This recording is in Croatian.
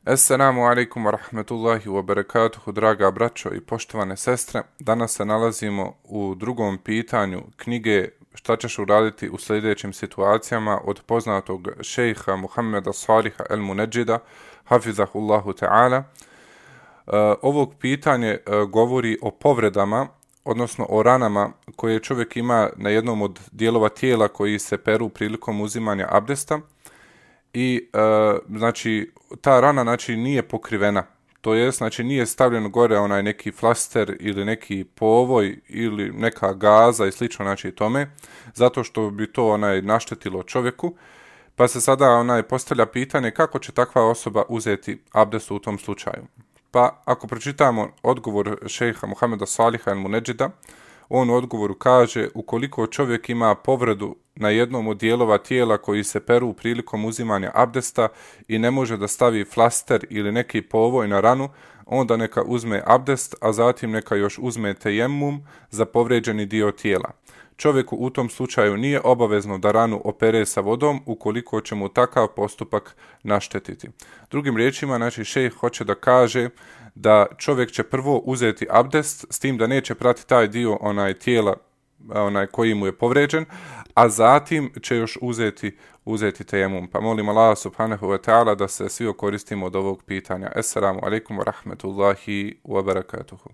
Assalamu alaikum wa rahmatullahi wa barakatuhu, draga braćo i poštovane sestre. Danas se nalazimo u drugom pitanju knjige Šta ćeš uraditi u sljedećim situacijama od poznatog šejha Muhammeda Saliha el-Munedžida, hafizahullahu ta'ala. Ovog pitanje govori o povredama, odnosno o ranama koje čovjek ima na jednom od dijelova tijela koji se peru prilikom uzimanja abdesta. I znači ta rana znači nije pokrivena, to jest znači nije stavljen gore onaj neki flaster ili neki povoj ili neka gaza i slično znači tome, zato što bi to naštetilo čovjeku. Pa se sada postavlja pitanje kako će takva osoba uzeti abdest u tom slučaju. Pa ako pročitamo odgovor šejha Muhameda Saliha el-Munedžida, on u odgovoru kaže: ukoliko čovjek ima povredu na jednom od dijelova tijela koji se peru prilikom uzimanja abdesta i ne može da stavi flaster ili neki povoj na ranu, onda neka uzme abdest, a zatim neka još uzme tejemum za povređeni dio tijela. Čovjeku u tom slučaju nije obavezno da ranu opere sa vodom ukoliko će mu takav postupak naštetiti. Drugim riječima, znači šejh hoće da kaže da čovjek će prvo uzeti abdest, s tim da neće prati taj dio tijela koji mu je povređen, a zatim će još uzeti tejemum. Pa molim Allah subhanahu wa ta'ala da se svi okoristimo od ovog pitanja. Assalamu alaikum wa rahmatullahi wa barakatuhu.